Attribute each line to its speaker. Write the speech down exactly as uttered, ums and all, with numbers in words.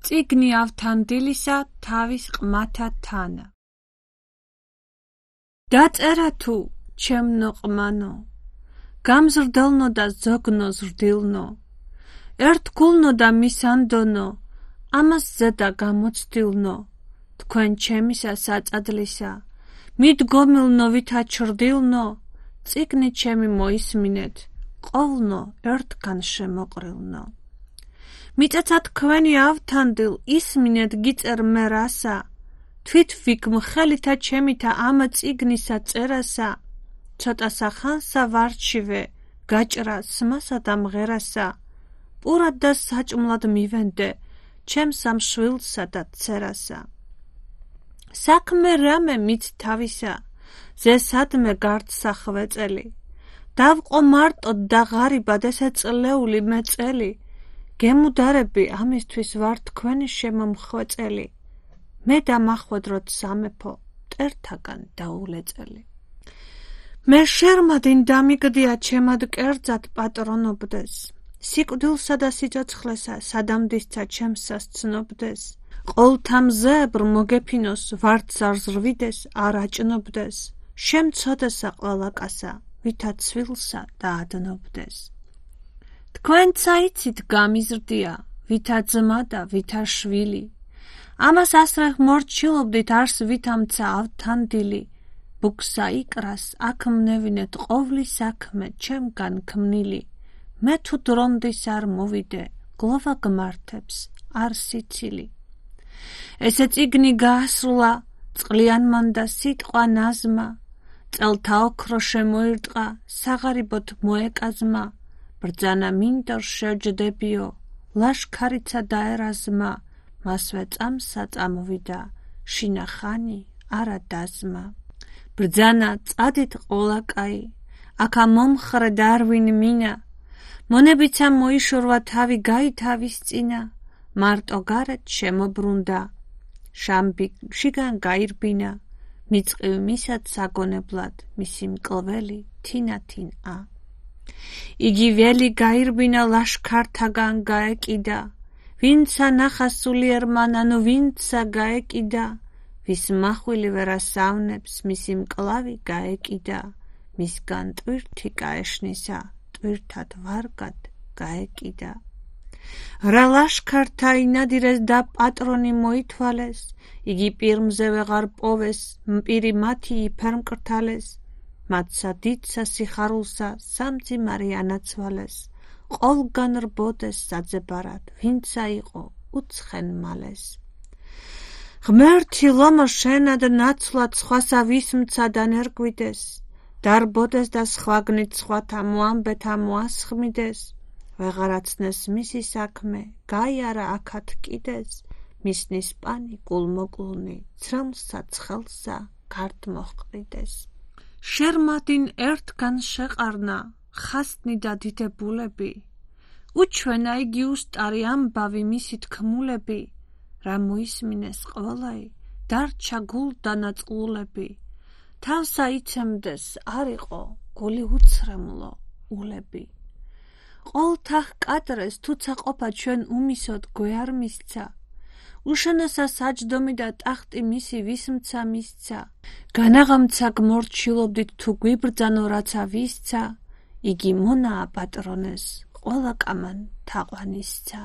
Speaker 1: წიგნი ავთანდილისა თავის ყმათა თანა. დაწერა თუ ჩემნო ყმანო, გამზრდელნო და ზოგნო ზრდილნო, ერთგულნო და მისანდონო, ამას ზედა გამოცდილნო, თქვენ ჩემისა საწადლისა, მიდგომილნო ვითა ჩრდილნო, წიგნი ჩემი მოისმინეთ, ყოვლნო ერთგან შემოყრილნო. მიწაცა თქვენი ავთანდილ ისმინეთ გიწერ მე რასა, თვით ვიგმხელითა ჩემითა ამ წიგნისა წერასა, ცოტასა ხანსა ვარჩივე, გაჭრა სმასა და მღერასა, პურად და საჭმლად მივენდე, ჩემს ამ შვილსა და ცერასა. საქმე რამე მით თავისა, ზესადმე გარდსა ხვეწელი, დავყო მარტოდ და ღარიბად ესე წლეული მეწელი, გემუდარები ამისთვის ვარ თქვენი შემომხვეწელი, მე დამახვედროთ სამეფო, მტერთაგან დაულეწელი. მე შერმადინ დამიგდია ჩემად კერძად პატრონობდეს, სიკვდილსა და სიცოცხლესა სადამდისცა ჩემსას ცნობდეს, ყოვლთა მზეებრ მოგეფინოს ვარდს არ ზრვიდეს, არ აჭნობდეს, შემცოდესა ყველაკასა, ვითა ცვილსა დაადნობდეს. თქვენცა იცით გამიზრდია, ვითა ძმა და ვითა შვილი, ამას ასრე მორჩილობდით არს ვითამცა ავთანდილი, ბუქსა იკრას აქ მნევინეთ ყოვლი საქმე ჩემგან ქმნილი, მე თუ დრონდის არ მოვიდე, გლოვა გმართებს, არ სიცილი. ესე წიგნი გაასრულა, წყლიანმან და სიტყვა ნაზმა, წელთა ოქრო შემოირტყა, საღარიბოთ მოეკაზმა, ბრძანა მინდორ შეჯდებიო, ლაშქარიცა დაერაზმა, მასვე წამსა წამოვიდა, შინახანი არა დაზმა. ბრძანა წადით ყოლაკაი, აქა მომხრე დარვინ მინა, მონებიცა მოიშორვა თავი გაითავის წინა, მარტო გარეთ შემობრუნდა, შამბი შიგან გაირბინა, მიწყივ მისად საგონებლად, მისი მკლველი თინათინა. იგი ველი გაირბინა ლაშქართაგან გაეკიდა, ვინცა ნახა სულიერმან, ანუ ვინცა გაეკიდა, ვის მახვილი ვერასავნებს, მისი მკლავი გაეკიდა, მისგან ტვირთი გაეშნისა, ტვირთად ვარგად გაეკიდა. რა ლაშქართა ინადირეს და პატრონი მოითვალეს, იგი პირმზე ვეღარ პოვეს, მპირი მათი იფერ მკრთალეს, მათსა დიდსა სიხარულსა სამძიმარი ანაცვალეს, ყოვლგან რბოდეს საძებარად, ვინცა იყო უცხენ მალეს. ღმერთი ლომო შენად ნაცვლად სხვასა ვისმცა და ნერგვიდეს, დარბოდეს და სხვაგნით სხვათა მოამბეთა მოასხმიდეს, ვეღარაცნეს მისი საქმე, გაიარა აქად კიდეს, მისნის პანი გულმოკლუნი, ცრემლსა ცხელსა გარდ მოჰყრიდეს. შერმადინ ერთგან შეყარნა, ხასნი და დიდებულები, უჩვენა იგი უსტარი ამბავი მისი თქმულები, რა მოისმინეს ყველაი, დარჩა გულდანაწყულები, თავსა იცემდეს არ იყო გული უცრემლო ულები. ყოვლთა ჰკადრეს თუცა ყოფა ჩვენ უმისოდ გვეარ მისცა, უშენოსა საჯდომი და ტახტი მისი ვისმცა მისცა, განაღამცა გმორჩილობდით თუ გვიბრძანო რაცა ვისცა, იგი მონაა პატრონეს, ყველა კამან თაყვანისცა.